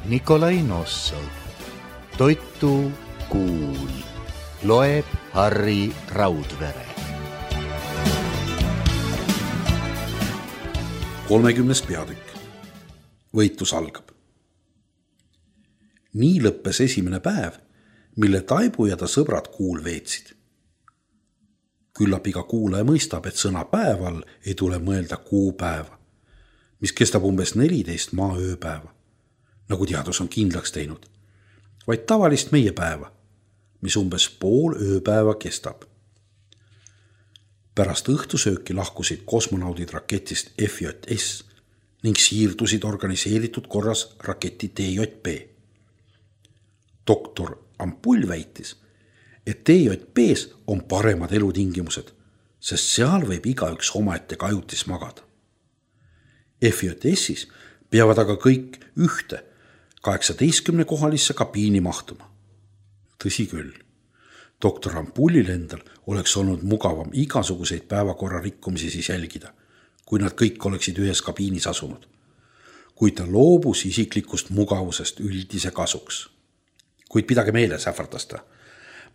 Nikolai Nossov. Toitu kuul. Loeb Harri Raudvere. 30. peatükk. Võitlus algab. Nii lõppes esimene päev, mille Taibu ja ta sõbrad kuul veetsid. Küllap iga kuulaja mõistab, et sõna päeval ei tule mõelda kuupäeva, mis kestab umbes 14 maaööpäeva, nagu teadus on kindlaks teinud, vaid tavalist meie päeva, mis umbes pool ööpäeva kestab. Pärast õhtusööki lahkusid kosmonaudid raketist FJS ning siirdusid organiseeritud korras raketi TJP. Doktor Ampull väitis, et TJP-s on paremad elutingimused, sest seal võib igaüks omaette kajutis magada. FJS-is peavad aga kõik ühte 18-kohalisse kabiini mahtuma. Tõsi küll, doktor Ampullil endal oleks olnud mugavam igasuguseid päevakorra rikkumisi siis jälgida, kui nad kõik oleksid ühes kabiinis asunud, kuid ta loobus isiklikust mugavusest üldise kasuks. Kuid pidage meeles, ähvardas ta.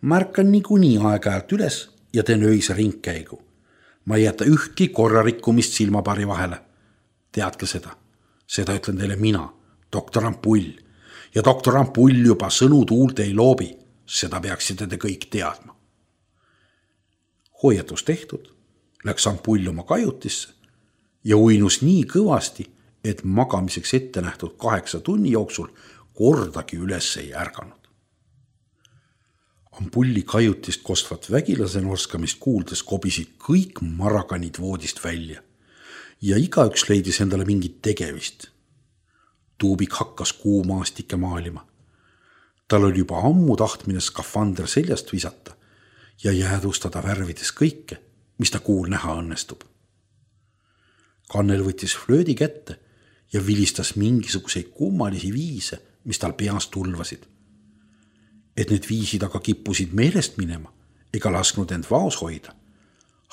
Märkan niikuinii aeg-ajalt üles ja teen öise ringkäigu. Ma ei jäta ühtki korrarikkumist silmapari vahele. Teadke seda. Seda ütlen teile mina, doktor Ampull. Ja doktor Ampull juba sõnu tuult ei loobi. Seda peaksite te kõik teadma. Hoiatus tehtud, läks Ampull oma kajutisse ja uinus nii kõvasti, et magamiseks ette nähtud 8 tunni jooksul kordagi üles ei ärganud. Ampulli kajutist kostvat vägilase norskamist kuuldes kobisid kõik marakanid voodist välja ja igaüks leidis endale mingit tegevist. Tuubik hakkas kuumaastikke maalima. Tal oli juba ammu tahtmine skafander seljast visata ja jäädustada värvides kõike, mis ta kuul näha õnnestub. Kannel võttis flöödi kätte ja vilistas mingisuguseid kummalisi viise, mis tal peas tulvasid. Et need viisid aga kippusid meelest minema ega lasknud end vaos hoida.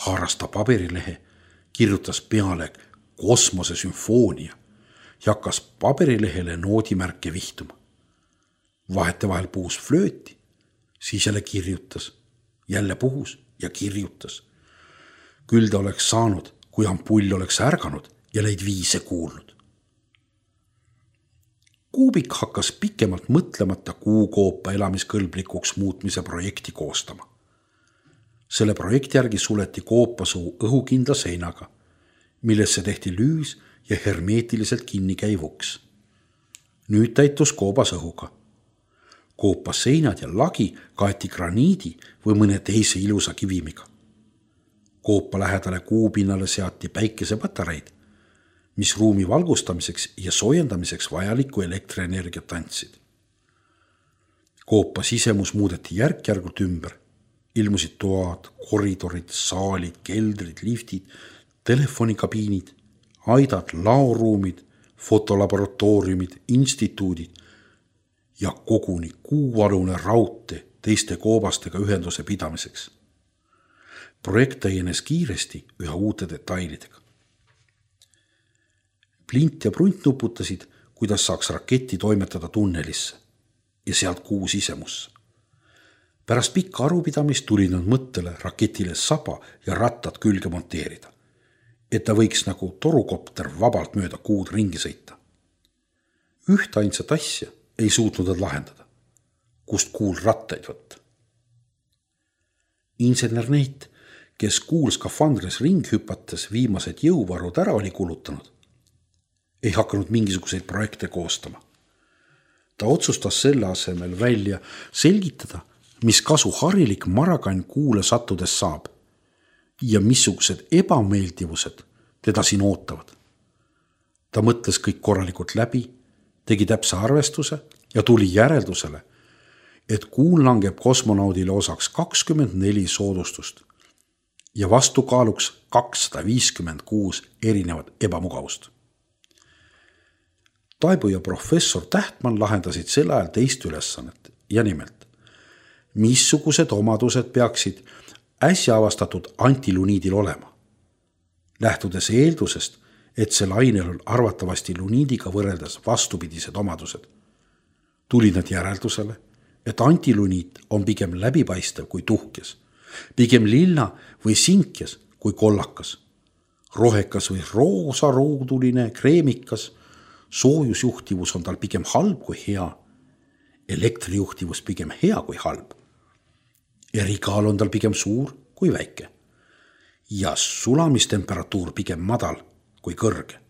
Haaras ta paberilehe, kirjutas peale kosmosesümfoonia ja hakkas paberilehele noodimärke vihtuma. Vahetevahel puhus flööti, siis jälle kirjutas, jälle puhus ja kirjutas. Küll ta oleks saanud, kui Ampull oleks ärganud ja neid viise kuulnud. Kuubik hakkas pikemalt mõtlemata kuukoopa elamiskõlblikuks muutmise projekti koostama. Selle projekti järgi suleti koopasuu õhukindla seinaga, millesse tehti lüüs ja hermeetiliselt kinni käiv uks. Nüüd täitus koobas õhuga. Koopas seinad ja lagi kaeti graniidi või mõne teise ilusa kivimiga. Koopa lähedale kuupinnale seati päikesepatareid, mis ruumi valgustamiseks ja soojendamiseks vajalikku elektrienergiat andsid. Koopa sisemus muudeti järk-järgult ümber. Ilmusid toad, koridorid, saalid, keldrid, liftid, telefonikabiinid, aidad, laoruumid, fotolaboratooriumid, instituudid ja koguni kuualune raudtee teiste koobastega ühenduse pidamiseks. Projekt täienes kiiresti üha uute detailidega. Plint ja Brunt nuputasid, kuidas saaks raketti toimetada tunnelisse ja sealt kuu sisemusse. Pärast pikka arupidamist tulid nad mõttele raketile saba ja rattad külge monteerida, et ta võiks nagu torukopter vabalt mööda kuud ringi sõita. Üht ainsat asja ei suutnud nad lahendada, kust kuul rattaid võtta. Insener Neit, kes kuul skafandris ring hüpates viimased jõuvarud ära oli kulutanud, ei hakanud mingisuguseid projekte koostama. Ta otsustas selle asemel välja selgitada, mis kasu harilik marakann kuule sattudes saab ja missugused ebameeldivused teda siin ootavad. Ta mõtles kõik korralikult läbi, tegi täpse arvestuse ja tuli järeldusele, et kuul langeb kosmonaudile osaks 24 soodustust ja vastukaaluks 256 erinevat ebamugavust. Taibu ja professor Tähtmann lahendasid sel ajal teist ülesannet ja nimelt, missugused omadused peaksid äsja avastatud antiluniidil olema. Lähtudes eeldusest, et sel ainel on arvatavasti luniidiga võrreldes vastupidised omadused, tulid nad järeldusele, et antiluniit on pigem läbipaistev kui tuhkes, pigem lilla või sinkes kui kollakas, rohekas või roosarooduline kreemikas, soojusjuhtivus on tal pigem halb kui hea, elektrijuhtivus pigem hea kui halb, erikaal on tal pigem suur kui väike ja sulamistemperatuur pigem madal kui kõrge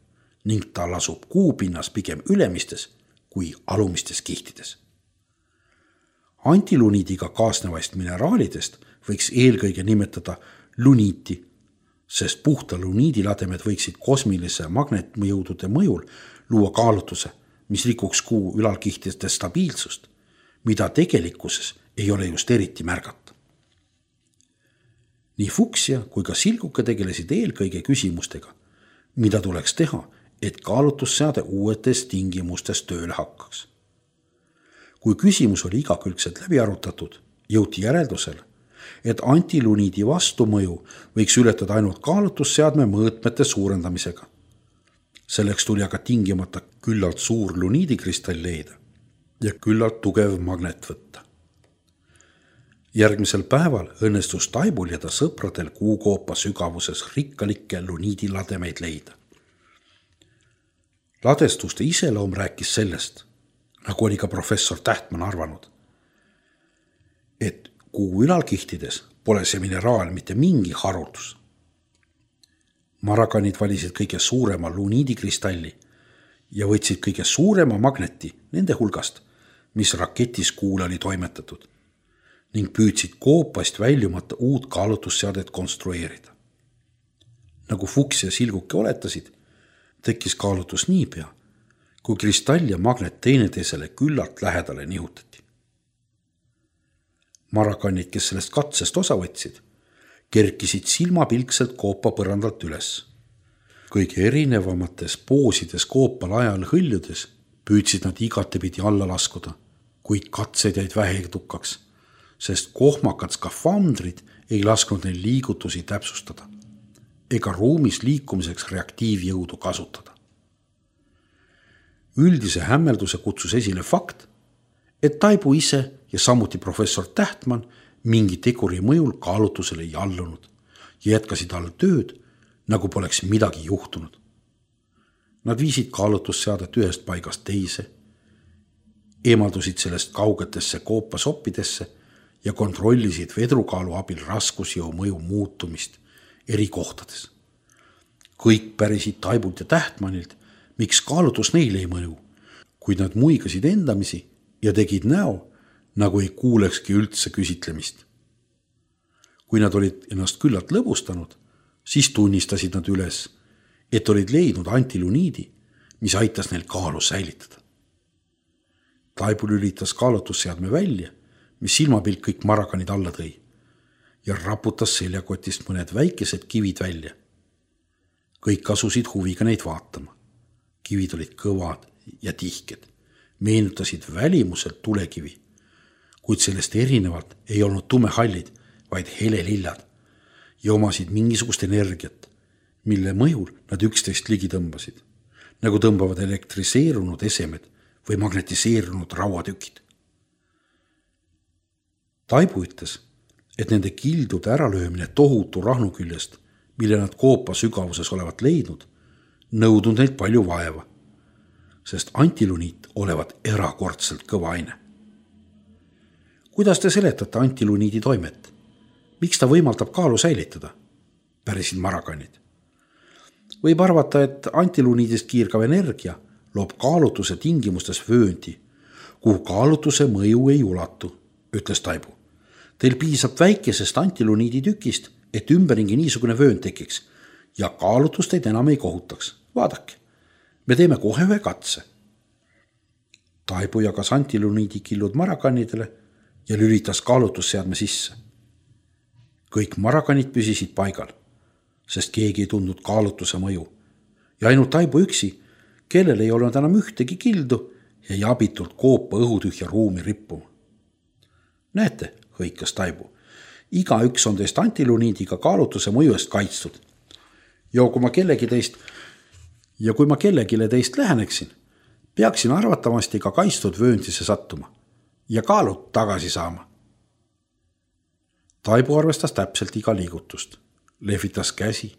ning ta lasub kuupinnas pigem ülemistes kui alumistes kihtides. Antiluniidiga kaasnevaist mineraalidest võiks eelkõige nimetada luniiti, sest puhta luniidilademed võiksid kosmilise magnetmõjudude mõjul luua kaalutuse, mis rikuks kuu ülalkihtide stabiilsust, mida tegelikkuses ei ole just eriti märgata. Nii Fuchsia kui ka Silguke tegelesid eelkõige küsimustega, mida tuleks teha, et kaalutusseade uuetes tingimustes tööle hakkaks. Kui küsimus oli igakülgselt läbi arutatud, jõuti järeldusele, et antiluniidi vastumõju võiks ületada ainult kaalutusseadme mõõtmete suurendamisega. Selleks tuli aga tingimata küllalt suur luniidikristall leida ja küllalt tugev magnet võtta. Järgmisel päeval õnnestus Taibul ja ta sõpradel kuukoopa sügavuses rikkalikke luniidilademeid leida. Ladestuste iseloom rääkis sellest, nagu oli ka professor Tähtmann arvanud, et kuu ülalkihtides pole see mineraal mitte mingi haruldus. Marakanid valisid kõige suurema luniidikristalli ja võtsid kõige suurema magneti nende hulgast, mis raketis kuule oli toimetatud ning püüdsid koopast väljumata uut kaalutusseadet konstrueerida. Nagu Fuchs ja Silguke oletasid, tekkis kaalutus niipea, kui kristall ja magnet teineteisele küllalt lähedale nihutati. Marakanid, kes sellest katsest osa võtsid, kerkisid silmapilkselt koopa põrandalt üles. Kõige erinevamates poosides koopal ajal hõljudes püüdsid nad igatepidi alla laskuda, kuid katsed jäid väheedukaks, sest kohmakad skafandrid ei lasknud neil liigutusi täpsustada ega ruumis liikumiseks reaktiivjõudu kasutada. Üldise hämmelduse kutsus esile fakt, et Taibu ise ja samuti professor Tähtmann mingi teguri mõjul kaalutusele ei allunud ja jätkasid all tööd, nagu poleks midagi juhtunud. Nad viisid kaalutusseadet ühest paigast teise, eemaldusid sellest kaugetesse koopasoppidesse ja kontrollisid vedrukaalu abil raskusjõu mõju muutumist eri kohtades. Kõik pärisid Taibult ja Tähtmannilt, miks kaalutus neile ei mõju, kuid nad muigasid endamisi ja tegid näo, nagu ei kuulekski üldse küsitlemist. Kui nad olid ennast küllalt lõbustanud, siis tunnistasid nad üles, et olid leidnud antiluniidi, mis aitas neil kaalu säilitada. Taibu lülitas kaalutusseadme välja, mis silmapilk kõik marakanid alla tõi ja raputas seljakotist mõned väikesed kivid välja. Kõik asusid huviga neid vaatama. Kivid olid kõvad ja tihked, meenutasid välimuselt tulekivi, kuid sellest erinevalt ei olnud tumehallid, vaid helelillad ja omasid mingisugust energiat, mille mõjul nad üksteist ligi tõmbasid, nagu tõmbavad elektriseerunud esemed või magnetiseerunud rauatükid. Taibu ütles, et nende kildude äralöömine tohutu rahnu küljest, mille nad koopa sügavuses olevat leidnud, nõudnud neilt palju vaeva, sest antiluniit olevat erakordselt kõva aine. Kuidas te seletate antiluniidi toimet? Miks ta võimaldab kaalu säilitada? Pärisid marakanid. Võib arvata, et antiluniidist kiirgav energia loob kaalutuse tingimustes vööndi, kuhu kaalutuse mõju ei ulatu, ütles Taibu. Teil piisab väikesest antiluniidi tükist, et ümberringi niisugune vöönd tekiks ja kaalutust teid enam ei kohutaks. Vaadake, me teeme kohe ühe katse. Taibu jagas antiluniidi killud marakanidele ja lülitas kaalutusseadme sisse. Kõik marakanid püsisid paigal, sest keegi ei tundnud kaalutuse mõju ja ainult Taibu üksi, kellel ei olnud enam ühtegi kildu ja abitult koopa õhutühja ruumi rippuma. Näete, hõikas Taibu, iga üks on teist antiluniidiga kaalutuse mõju eest kaitstud. Ja kui ma kellelegi teist läheneksin, Peaksin arvatavasti ka kaitstud vööndisse sattuma ja kaalud tagasi saama. Taibu arvestas täpselt iga liigutust, lehvitas käsi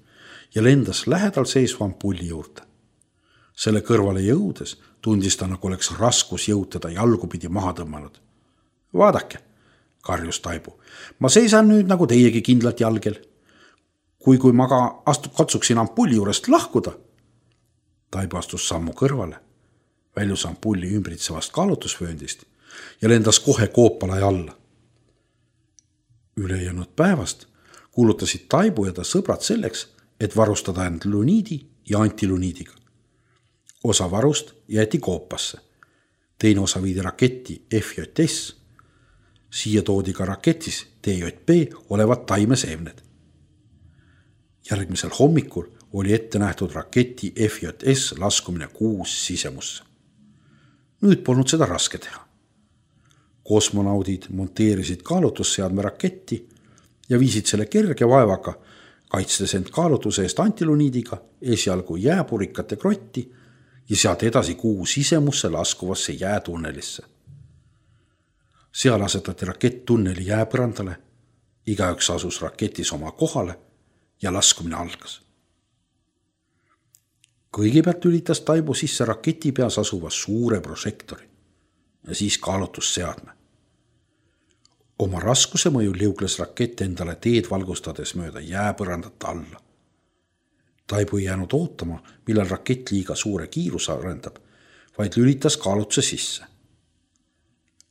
ja lendas lähedal seisva ampulli juurde. Selle kõrvale jõudes tundis ta, nagu oleks raskus jõud teda jalgupidi maha tõmmanud. Vaadake, karjus Taibu, ma seisan nüüd nagu teiegi kindlalt jalgel. Kui ma ka katsuksin ampulli juurest lahkuda. Taibu astus sammu kõrvale, väljus ampulli ümbritsevast kaalutusvööndist ja lendas kohe koopalai alla. Ülejäänud päevast kuulutasid Taibu ja ta sõbrad selleks, et varustada end luniidi ja antiluniidiga. Osa varust jäeti koopasse, teine osa viidi raketti FJS. Siia toodi ka raketis TJP olevad taimeseemned. Järgmisel hommikul oli ette nähtud raketi FJS laskumine Kuus sisemusse. Nüüd polnud seda raske teha. Kosmonaudid monteerisid kaalutusseadme raketti ja viisid selle kerge vaevaga, kaitstes end kaalutuse eest antiluniidiga esialgu jääpurikate krotti ja sealt edasi Kuu sisemusse laskuvasse jäätunnelisse. Seal asetati rakett tunneli jääpõrandale, igaüks asus raketis oma kohale ja laskumine algas. Kõigepealt lülitas Taibu sisse raketi peas asuva suure prožektori ja siis kaalutusseadme. Oma raskuse mõjul liugles rakett endale teed valgustades mööda jääpõrandat alla. Taibu ei jäänud ootama, millal rakett liiga suure kiiruse arendab, vaid lülitas kaalutuse sisse.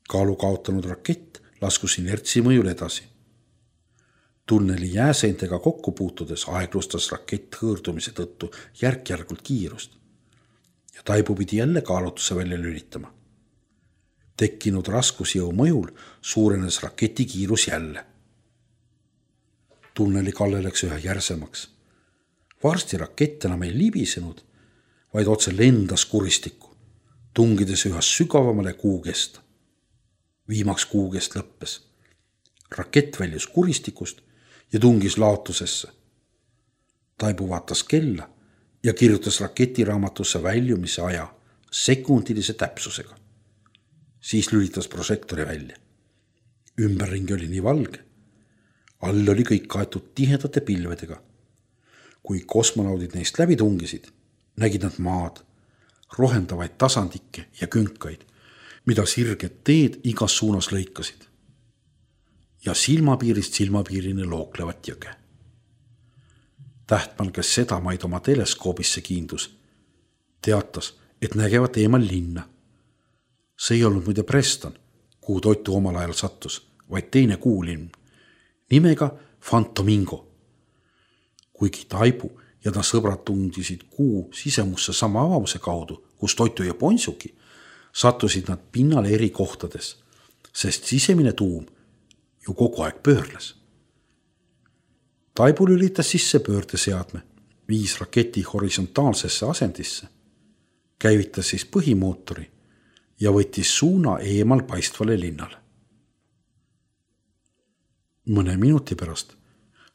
Kaalu kaotanud rakett laskus inertsi mõjul edasi. Tunneli jääseintega kokku puutudes aeglustas rakett hõõrdumise tõttu järk-järgult kiirust ja Taibu pidi jälle kaalutuse välja lülitama. Tekkinud raskusjõu mõjul suurenes raketi kiirus jälle. Tunneli kalle läks üha järsemaks. Varsti rakett enam ei libisenud, vaid otse lendas kuristikku, tungides üha sügavamale kuukesta. Viimaks kuukest lõppes. Rakett väljus kuristikust ja tungis laotusesse. Taibu vaatas kella ja kirjutas raketiraamatusse väljumise aja sekundilise täpsusega. Siis lülitas prožektori välja. Ümberringi oli nii valge. All oli kõik kaetud tihedate pilvedega. Kui kosmonaudid neist läbi tungisid, nägid nad maad, rohendavaid tasandikke ja künkaid, mida sirged teed igas suunas lõikasid. Ja silmapiirist silmapiirini looklevat jõge. Tähtmann, kes seda maid oma teleskoobisse kiindus, teatas, et nägevat eemal linna. See ei olnud muide Preston, kuhu Toitu omal ajal sattus, vaid teine kuulinn, nimega Fantomingo. Kuigi Taibu ja ta sõbrad tundisid Kuu sisemusse sama avamuse kaudu, kus Toitu ja Ponsuki, sattusid nad pinnale eri kohtades, sest sisemine tuum ju kogu aeg pöörles. Taibu lülitas sisse pöördeseadme, viis raketi horisontaalsesse asendisse, käivitas siis põhimootori ja võttis suuna eemal paistvale linnale. Mõne minuti pärast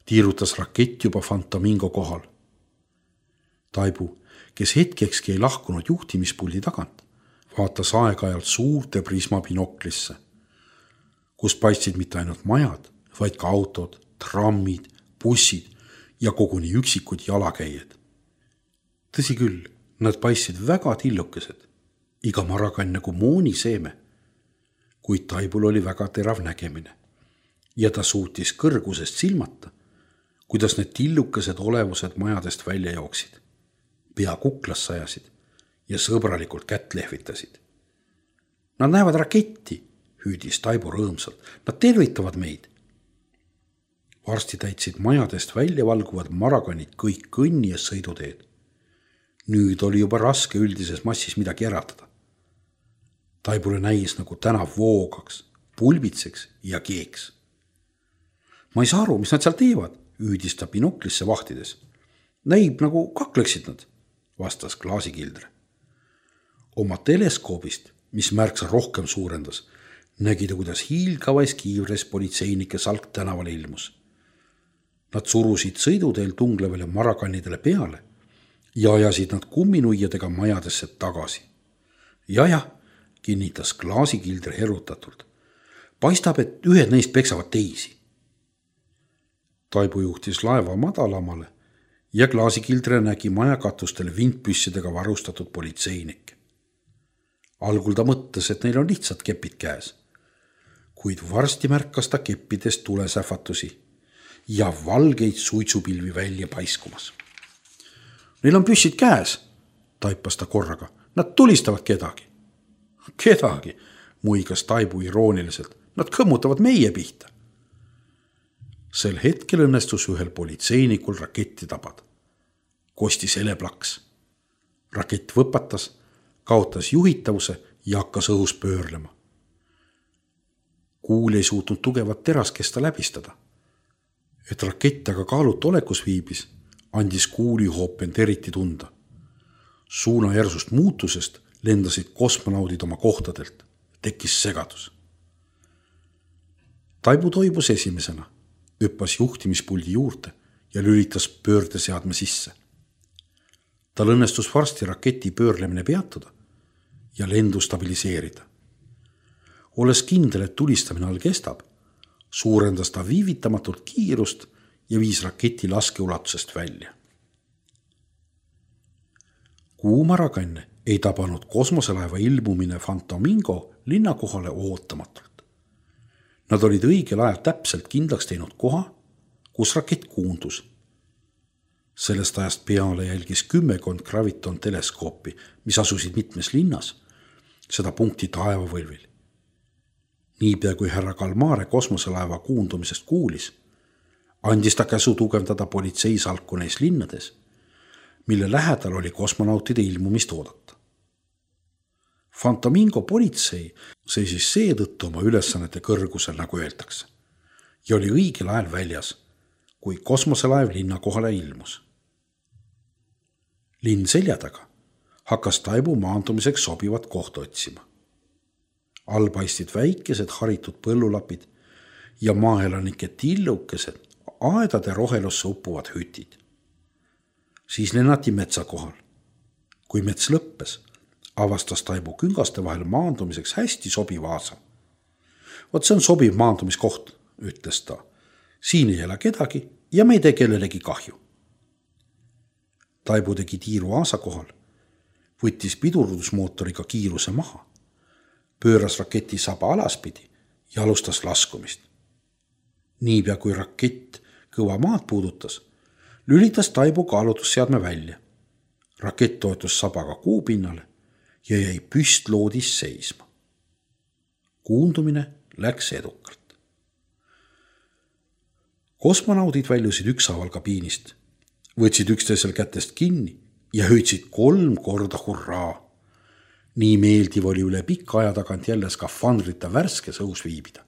tiirutas rakett juba Fantomingo kohal. Taibu, kes hetkekski ei lahkunud juhtimispuldi tagant, vaatas aeg-ajalt suurte prismabinoklisse, kus paistsid mitte ainult majad, vaid ka autod, trammid, bussid ja koguni üksikud jalakäijad. Tõsi küll, nad paistsid väga tillukesed, iga marakann nagu mooniseeme, kuid Taibul oli väga terav nägemine ja ta suutis kõrgusest silmata, kuidas need tillukesed olevused majadest välja jooksid, pea kuklas sajasid ja sõbralikult kätt lehvitasid. Nad näevad raketti, hüüdis Taibu rõõmsalt, nad tervitavad meid. Varsti täitsid majadest välja valguvad marakanid kõik kõnni ja sõiduteed. Nüüd oli juba raske üldises massis midagi äratada. Taibule näis nagu tänav voogaks, pulbitseks ja keeks. Ma ei saa aru, mis nad seal teevad, hüüdis ta binoklisse vahtides. Näib nagu kakleksid nad, vastas klaasikildre. Oma teleskoobist, mis märksa rohkem suurendas, nägi ta, kuidas hiilgavais kiivres politseinike salk tänavale ilmus. Nad surusid sõiduteel tunglevale marakannidele peale ja ajasid nad kumminuiadega majadesse tagasi. Jah, kinnitas klaasikildri herutatult. Paistab, et ühed neist peksavad teisi. Taibu juhtis laeva madalamale ja klaasikildre nägi majakatustele vintpüssidega varustatud politseinikke. Algul ta mõtles, et neil on lihtsalt kepid käes, kuid varsti märkas ta keppidest tulesähvatusi ja valgeid suitsupilvi välja paiskumas. Neil on püssid käes, taipas ta korraga. Nad tulistavad kedagi. Kedagi, muigas Taibu irooniliselt. Nad kõmmutavad meie pihta. Sel hetkel õnnestus ühel politseinikul raketti tabada. Kostis eleplaks. Rakett võpatas, kaotas juhitavuse ja hakkas õhus pöörlema. Kuul ei suutnud tugevat teraskesta läbistada. Et rakett aga kaalut olekus viibis, andis kuuli hoopend eriti tunda. Suuna järsust muutusest lendasid kosmonaudid oma kohtadelt. Tekkis segadus. Taibu toibus esimesena, hüppas juhtimispuldi juurde ja lülitas pöördeseadme sisse. Tal õnnestus varsti raketi pöörlemine peatuda ja lendu stabiliseerida. Olles kindel, et tulistamine all kestab, suurendas ta viivitamatult kiirust ja viis raketi laskeulatusest välja. Kuumarakanne ei tabanud kosmoselaeva ilmumine Fantomingo linnakohale ootamatult. Nad olid õigel ajal täpselt kindlaks teinud koha, kus rakett kuundus. Sellest ajast peale jälgis 10 graviton teleskoopi, mis asusid mitmes linnas, seda punkti taevavõlvil. Niipea kui härra Kalmare kosmoselaeva kuundumisest kuulis, andis ta käsu tugevdada politseisalku neis linnades, mille lähedal oli kosmonautide ilmumist oodata. Fantomingo politsei seisis seetõttu oma ülesannete kõrgusel, nagu öeldakse, ja oli õigel ajal väljas, kui kosmoselaev linnakohale ilmus. Linn selja taga hakkas Taibu maandumiseks sobivat kohta otsima. All paistid väikesed haritud põllulapid ja maaelanike tillukesed aedade rohelusse uppuvad hütid. Siis lennati metsa kohal. Kui mets lõppes, avastas Taibu küngaste vahel maandumiseks hästi sobiv aasa. Vot see on sobiv maandumiskoht, ütles ta. Siin ei ela kedagi ja me ei tee kellelegi kahju. Taibu tegi tiiru aasa kohal, võttis pidurdusmootoriga kiiruse maha, pööras raketi saba alaspidi ja alustas laskumist. Niipea kui rakett kõva maad puudutas, lülitas Taibu kaalutusseadme välja. Rakett toetus sabaga kuupinnale ja jäi püstloodis seisma. Kuundumine läks edukalt. Kosmonaudid väljusid ükshaaval kabiinist, võtsid üksteisel kätest kinni ja hüüdsid 3 korda hurraa. Nii meeldiv oli üle pika aja tagant jälle skafandrita värskes õhus viibida.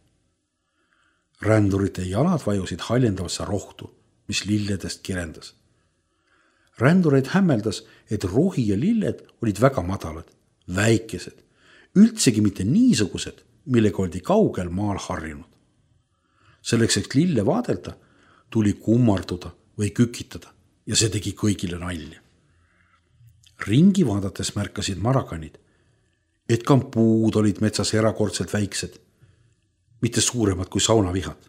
Rändurite jalad vajusid haljendavasse rohtu, mis lilledest kirendas. Rändureid hämmeldas, et rohi ja lilled olid väga madalad, väikesed, üldsegi mitte niisugused, millega oldi kaugel maal harjunud. Selleks, et lille vaadelda, tuli kummarduda või kükitada ja see tegi kõigile nalja. Ringi vaadates märkasid marakanid, et ka puud olid metsas erakordselt väiksed, mitte suuremad kui saunavihad.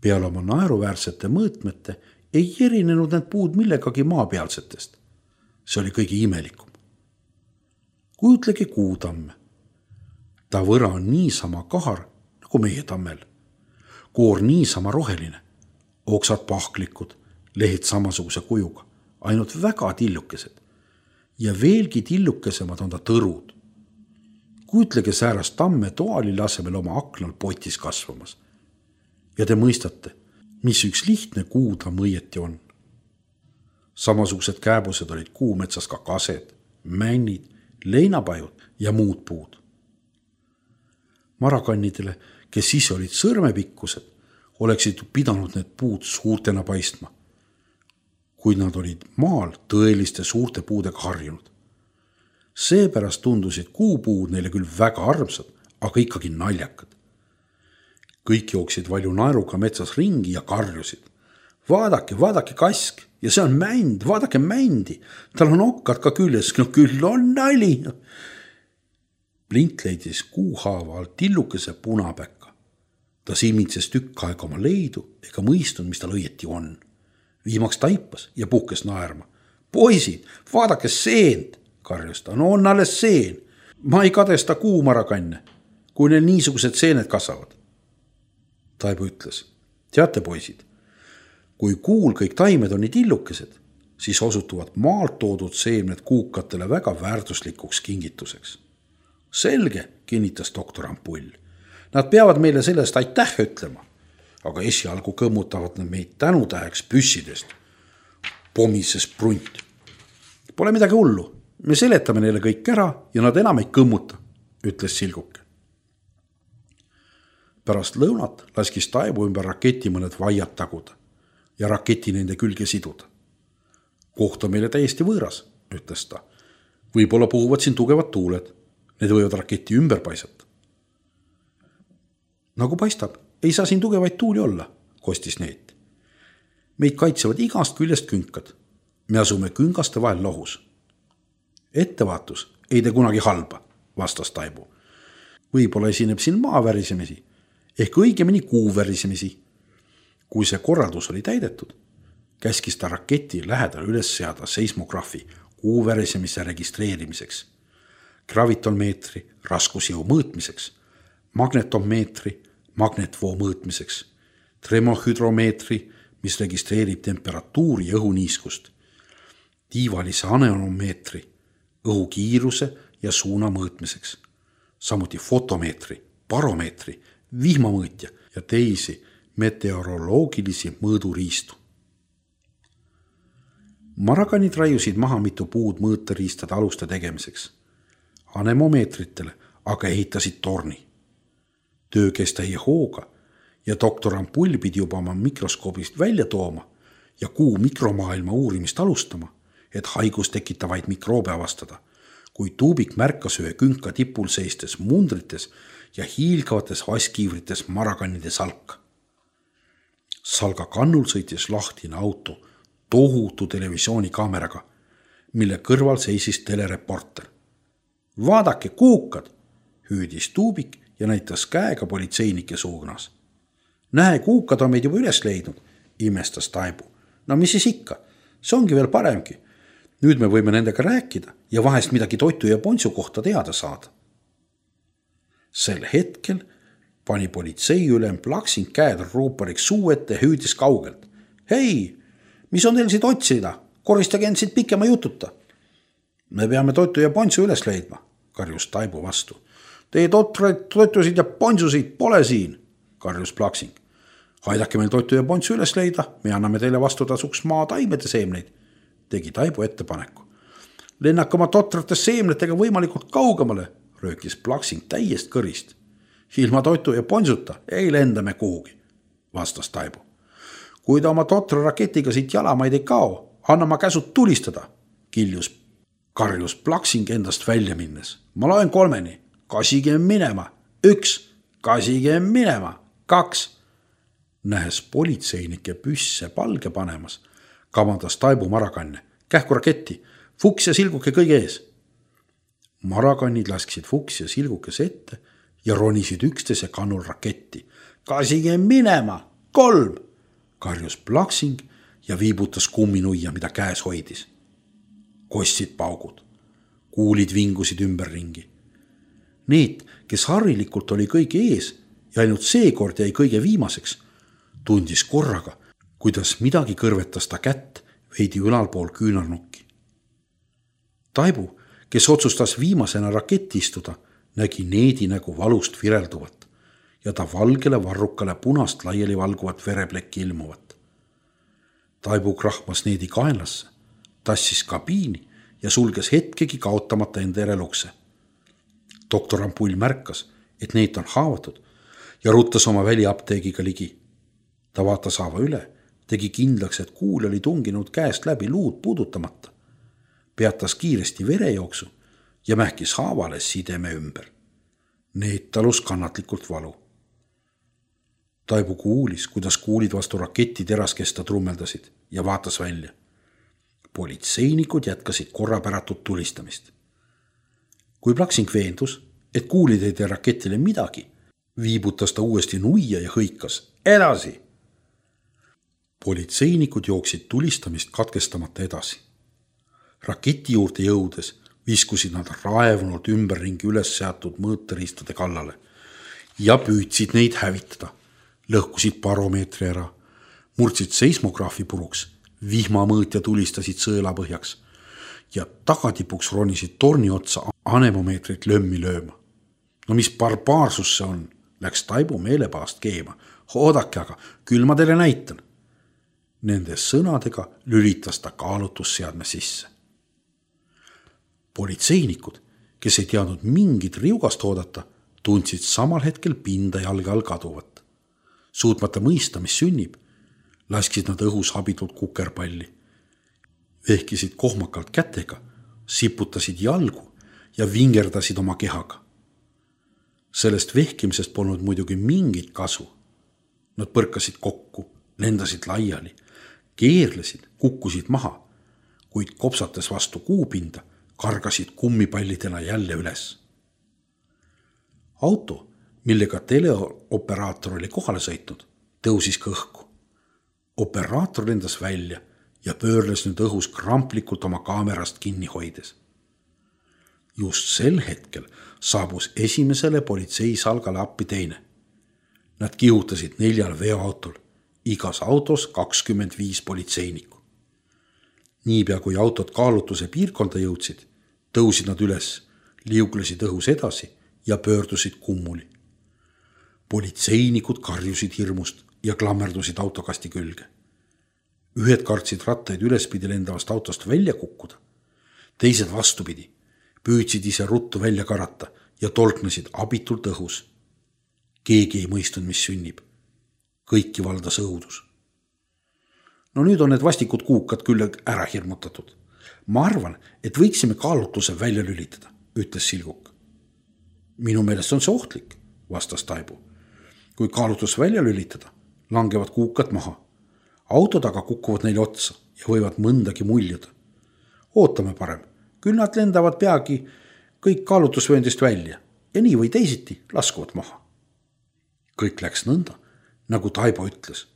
Peale oma naeruväärsete mõõtmete ei erinenud need puud millegagi maapealsetest. See oli kõige imelikum. Kujutlegi kuutamme. Ta võra on niisama kahar nagu meie tammel. Koor niisama roheline, oksad pahklikud, lehed samasuguse kujuga, ainult väga tillukesed. Ja veelgi tillukesemad on ta tõrud. Kujutlege säärast tamme toalile asemel oma aknal potis kasvamas. Ja te mõistate, mis üks lihtne kuutamm õieti on. Samasugused kääbused olid kuumetsas ka kased, männid, leinapajud ja muud puud. Marakannidele, kes ise olid sõrmepikkused, oleksid pidanud need puud suurtena paistma, kuid nad olid maal tõeliste suurte puudega harjunud. Seepärast tundusid kuupuud neile küll väga armsad, aga ikkagi naljakad. Kõik jooksid valju naeruga metsas ringi ja karjusid. Vaadake kask ja see on mänd, vaadake mändi. Tal on okkad ka küljes, no küll on nali. Plint leidis kuuhaava alt tillukese punapäka. Ta silmitses tükk aega oma leidu ega mõistnud, mis tal õieti on. Viimaks taipas ja puhkes naerma. Poisid, vaadake seent, karjus ta. No on alles seen. Ma ei kadesta kuumarakanne, kui neil niisugused seened kasvavad. Taibu ütles, teate poisid, kui kuul kõik taimed on nii tillukesed, siis osutuvad maalt toodud seemned kuukatele väga väärtuslikuks kingituseks. Selge, kinnitas doktor Ampull. Nad peavad meile sellest aitäh ütlema, aga esialgu kõmmutavad nad meid tänutäheks püssidest. Pomises Brunt. Pole midagi hullu, me seletame neile kõik ära ja nad enam ei kõmmuta, ütles Silguke. Pärast lõunat laskis Taibu ümber raketi mõned vaiad taguda ja raketi nende külge siduda. Koht on meile täiesti võõras, ütles ta. Võib-olla puhuvad siin tugevad tuuled. Need võivad raketi ümber paisata. Nagu paistab, ei saa siin tugevaid tuuli olla, kostis Neet. Meid kaitsevad igast küljest künkad. Me asume küngaste vahel lohus. Ettevaatus ei tee kunagi halba, vastas Taibu. Võib-olla esineb siin maavärisemisi, ehk õigemini kuuvärisemisi. Kui see korraldus oli täidetud, käskis ta raketi lähedal üles seada seismograafi kuuvärisemise registreerimiseks, gravitonmeetri raskusjõu mõõtmiseks, magnetomeetri magnetvoo mõõtmiseks, tremohüdromeetri, mis registreerib temperatuuri ja õhuniiskust, tiivalise aneonomeetri, õhukiiruse ja suuna mõõtmiseks, samuti fotomeetri, baromeetri, vihmamõõtja ja teisi meteoroloogilisi mõõduriistu. Marakanid raiusid maha mitu puud mõõteriistade aluste tegemiseks. Anemomeetritele aga ehitasid torni. Töö kestai hooga ja doktor Ampull pidi juba oma mikroskoobist välja tooma ja kuu mikromaailma uurimist alustama, et haigus tekitavaid mikroobe avastada, kui Tuubik märkas ühe künka tipul seistes mundrites ja hiilgavates vaskiivrites marakannide salka. Salga kannul sõitis lahtine auto tohutu televisioonikaameraga, mille kõrval seisis telereporter. Vaadake, kuukad, hüüdis Tuubik ja näitas käega politseinike suunas. Näe, kuukad on meid juba üles leidnud, imestas Taibu. No mis siis ikka, see ongi veel paremgi. Nüüd me võime nendega rääkida ja vahest midagi toitu ja pontsu kohta teada saada. Sel hetkel pani politseiülem Plaksing käed ruupariks suu ette ja hüüdis kaugelt. Hei, mis on teil siit otsida? Koristage end siit pikema jututa. Me peame toitu ja pontsu üles leidma, karjus Taibu vastu. Teie toitusid ja pontsusid pole siin, karjus Plaksing. Aidake meil toitu ja pontsu üles leida, me anname teile vastutasuks maa taimede seemneid, tegi Taibu ettepaneku. Lennake oma totrate seemnetega võimalikult kaugemale, röökis Plaksing täiest kõrist. Ilma toitu ja pontsuta ei lenda me kuhugi, vastas Taibu. Kui ta oma totra raketiga siit jalamaid ei kao, anna ma käsud tulistada, karjus Plaksing endast välja minnes. Ma loen 3, kasige minema, 1, kasige minema, 2. Nähes politseinike püsse palge panemas, kavandas Taibu marakanne. Kähku raketti, Fuks ja Silguke kõige ees. Marakannid lasksid Fuks ja Silgukes ette ja ronisid üksteise kannul raketti. Kasige minema, 3, karjus Plaksing ja viibutas kumminuia, mida käes hoidis. Kostsid paugud, kuulid vingusid ümberringi. Need, kes harilikult oli kõige ees ja ainult seekord jäi kõige viimaseks, tundis korraga, kuidas midagi kõrvetas ta kätt veidi ülalpool küünarnukki. Taibu, kes otsustas viimasena raketti istuda, nägi Needi nägu valust virelduvat ja ta valgele varrukale punast laiali valguvat vereplekki ilmuvat. Taibu krahmas Needi kaenlasse, tassis kabiini ja sulges hetkegi kaotamata enda järelukse. Doktor Ampull märkas, et Neet on haavatud ja ruttas oma väliapteegiga ligi. Ta vaatas haava üle, tegi kindlaks, et kuul oli tunginud käest läbi luud puudutamata. Peatas kiiresti verejooksu ja mähkis haavale sideme ümber. Neet talus kannatlikult valu. Taibu kuulis, kuidas kuulid vastu raketi teraskesta trummeldasid ja vaatas välja. Politseinikud jätkasid korrapäratut tulistamist. Kui Plaksing veendus, et kuulid ei tee raketile midagi, viibutas ta uuesti nuia ja hõikas edasi. Politseinikud jooksid tulistamist katkestamata edasi. Raketi juurde jõudes viskusid nad raevunult ümberringi üles seatud mõõteriistade kallale ja püüdsid neid hävitada. Lõhkusid baromeetri ära, murdsid seismograafi puruks, vihmamõõtja tulistasid sõela põhjaks ja tagatipuks ronisid torni otsa anemomeetrit lömmi lööma. No mis barbaarsus see on, läks Taibu meelepaast keema. Oodake aga, küll ma teile näitan. Nende sõnadega lülitas ta kaalutusseadme sisse. Politseinikud, kes ei teadnud mingit riugast oodata, tundsid samal hetkel pinda jalge all kaduvat. Suutmata mõista, mis sünnib, lasksid nad õhus habitult kukerpalli. Vehkisid kohmakalt kätega, siputasid jalgu ja vingerdasid oma kehaga. Sellest vehkimisest polnud muidugi mingit kasu. Nad põrkasid kokku, lendasid laiali, keerlesid, kukkusid maha, kuid kopsates vastu kuupinda, kargasid kummipallidena jälle üles. Auto, millega teleoperaator oli kohale sõitnud, tõusis ka õhku. Operaator lendas välja ja pöörles nüüd õhus kramplikult oma kaamerast kinni hoides. Just sel hetkel saabus esimesele politseisalgale appi teine. Nad kihutasid 4 veoautol, igas autos 25 politseinikku. Niipea kui autod kaalutuse piirkonda jõudsid, tõusid nad üles, liuglesid õhus edasi ja pöördusid kummuli. Politseinikud karjusid hirmust ja klammerdusid autokasti külge. Ühed kartsid rattaid ülespidi lendavast autost välja kukkuda. Teised vastupidi, püüdsid ise ruttu välja karata ja tolknesid abitult õhus. Keegi ei mõistnud, mis sünnib. Kõiki valdas õudus. No nüüd on need vastikud kuukad küll ära hirmutatud. Ma arvan, et võiksime kaalutluse välja lülitada, ütles Silguk. Minu meelest on see ohtlik, vastas Taibu. Kui kaalutlus välja lülitada, langevad kuukad maha. Autod aga kukuvad neile otsa ja võivad mõndagi muljuda. Ootame parem, küll nad lendavad peagi kõik kaalutlusvööndist välja ja nii või teisiti laskuvad maha. Kõik läks nõnda, nagu Taibo ütles.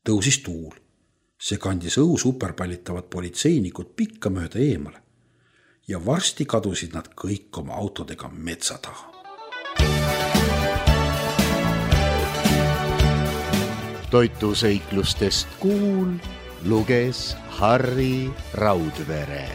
Tõusis tuul. See kandis õhu superpallitavad politseinikud pikka mööda eemale ja varsti kadusid nad kõik oma autodega metsa taha. Toituseiklustest kuul luges Harri Raudvere.